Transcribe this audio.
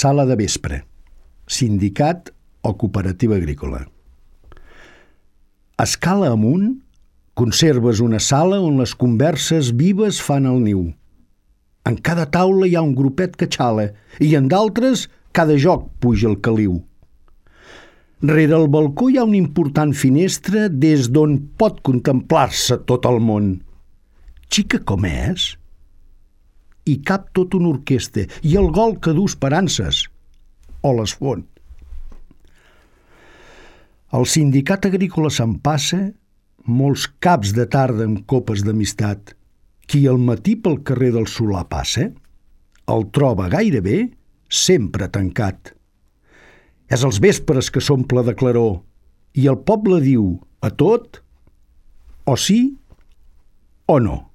Sala de vespre, sindicat o cooperativa agrícola. Escala amunt, conserves una sala on les converses vives fan el niu. En cada taula hi ha un grupet que xala i en d'altres cada joc puja el caliu. Rere el balcó hi ha una important finestra des d'on pot contemplar-se tot el món. Xica com és, hi cap tota una orquestra i el gol que du esperances o les fon. El sindicat agrícola s'empassa molts caps de tarda amb copes d'amistat. Qui al matí pel carrer del Solà passa, el troba gairebé sempre tancat. És els vespres que s'omple de claror i el poble diu a tot o sí o no.